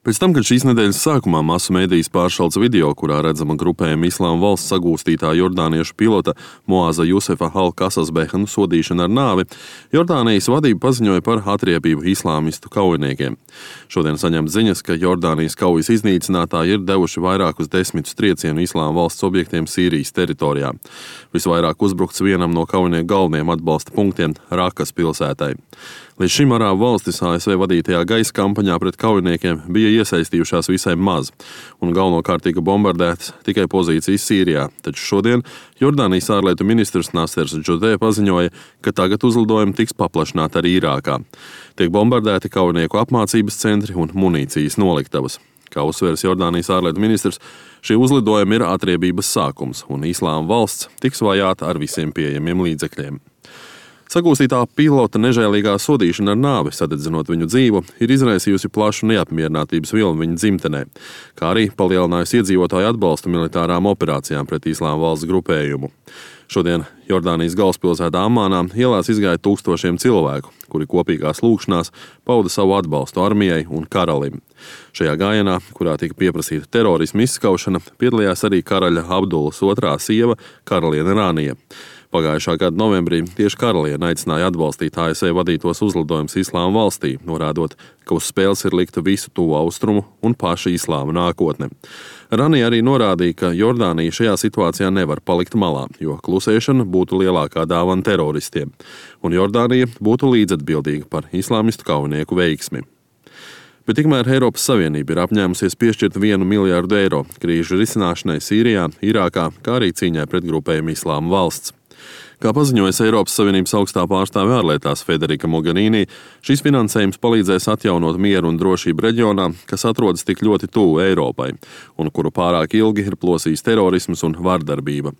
Pēc tam, kad šīs nedēļas sākumā masu mēdījis pāršalts video, kurā redzama grupējuma Islāma valsts sagūstītā jordāniešu pilota Moaza Jusefa Al-Kasasbehanu sodīšana ar nāvi, Jordānijas vadība paziņoja par atriebību islāmistu kaujiniekiem. Šodien saņemt ziņas, ka Jordānijas kaujas iznīcinātāji ir devuši vairākus desmitus triecienu Islāma valsts objektiem Sīrijas teritorijā. Visvairāk uzbrukts vienam no kaujinieku galvenajiem atbalsta punktiem – Rakas pilsētai. Līdz šim arābu valstis ASV vadītajā gaisa kampaņā pret kaujiniekiem bija iesaistījušās visai maz, un galvenokārt tika bombardētas tikai pozīcijas Sīrijā. Taču šodien Jordānijas ārlietu ministrs Nasers Džudē paziņoja, ka tagad uzlidojumi tiks paplašināti arī Irākā. Tiek bombardēti kaujinieku apmācības centri un munīcijas noliktavas. Kā uzsvērs Jordānijas ārlietu ministrs, šie uzlidojumi ir atriebības sākums, un Islāma valsts tiks vajāta ar visiem pieejamiem līdzekļiem. Sagūstītā pilota nežēlīgā sodīšana ar nāvi, sadedzinot viņu dzīvu, ir izraisījusi plašu neapmierinātības vilni viņa dzimtenē, kā arī palielinājusi iedzīvotāju atbalstu militārām operācijām pret Islāma valsts grupējumu. Šodien Jordānijas galvaspilsētā Amānā ielās izgāja tūkstošiem cilvēku, kuri kopīgās lūgšanās pauda savu atbalstu armijai un karalim. Šajā gājienā, kurā tika pieprasīta terorisma izskaušana, piedalījās arī karaļa Abdulas II sieva karaliene Rānija. Pagājušā gada novembrī tieši karaliene aicināja atbalstīt ASV vadītos uzlidojumus Islāma valstī, norādot, ka uz spēles ir likta visu tuvo austrumu un paša Islāma nākotne. Rānija arī norādīja, ka Jordānija šajā situācijā nevar palikt malā, jo klusēšana būtu lielākā dāvana teroristiem, un Jordānija būtu līdzatbildīga par islāmistu kaujinieku veiksmi. Bet tikmēr Eiropas Savienība ir apņēmusies piešķirt 1 miljārdu eiro krīžu risināšanai Sīrijā, Irākā, kā arī cīņai pret grupējumu Islāma valsts. Kā paziņojas Eiropas Savienības augstā pārstāve ārlietās Federica Mogherini, šis finansējums palīdzēs atjaunot mieru un drošību reģionā, kas atrodas tik ļoti tuvu Eiropai, un kuru pārāk ilgi ir plosījis terorisms un vardarbība.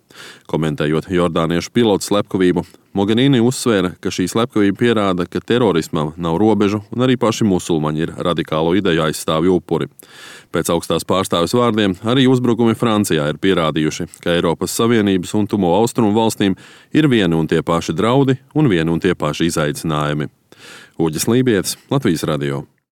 Komentējot jordāniešu pilotu slepkavību, Mogherini uzsvēra, ka šī slepkavība pierāda, ka terorismam nav robežu un arī paši musulmaņi ir radikālo ideju aizstāvju upuri. Pēc augstās pārstāves vārdiem arī uzbrukumi Francijā ir pierādījuši, ka Eiropas Savienības un tuvo austrumu valstīm ir vieni un tie paši draudi un vieni un tie paši izaicinājumi. Uģis Lībietis, Latvijas radio.